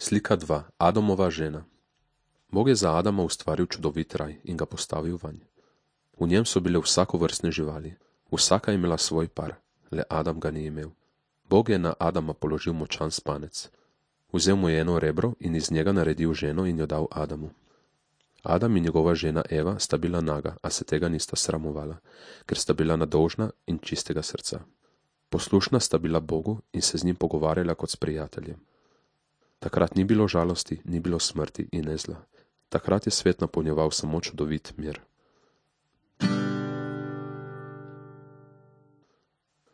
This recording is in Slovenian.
Slika 2. Adamova žena. Bog je za Adama ustvaril čudovit raj in ga postavil vanj. V njem so bile vsakovrstne živali, vsaka je imela svoj par, le Adam ga ni imel. Bog je na Adama položil močan spanec. Vzel mu je eno rebro in iz njega naredil ženo in jo dal Adamu. Adam in njegova žena Eva sta bila naga, a se tega nista sramovala, ker sta bila nedolžna in čistega srca. Poslušna sta bila Bogu in se z njim pogovarjala kot s prijateljem. Takrat ni bilo žalosti, ni bilo smrti in ne zla. Takrat je svet napolnjeval samo čudovit mir.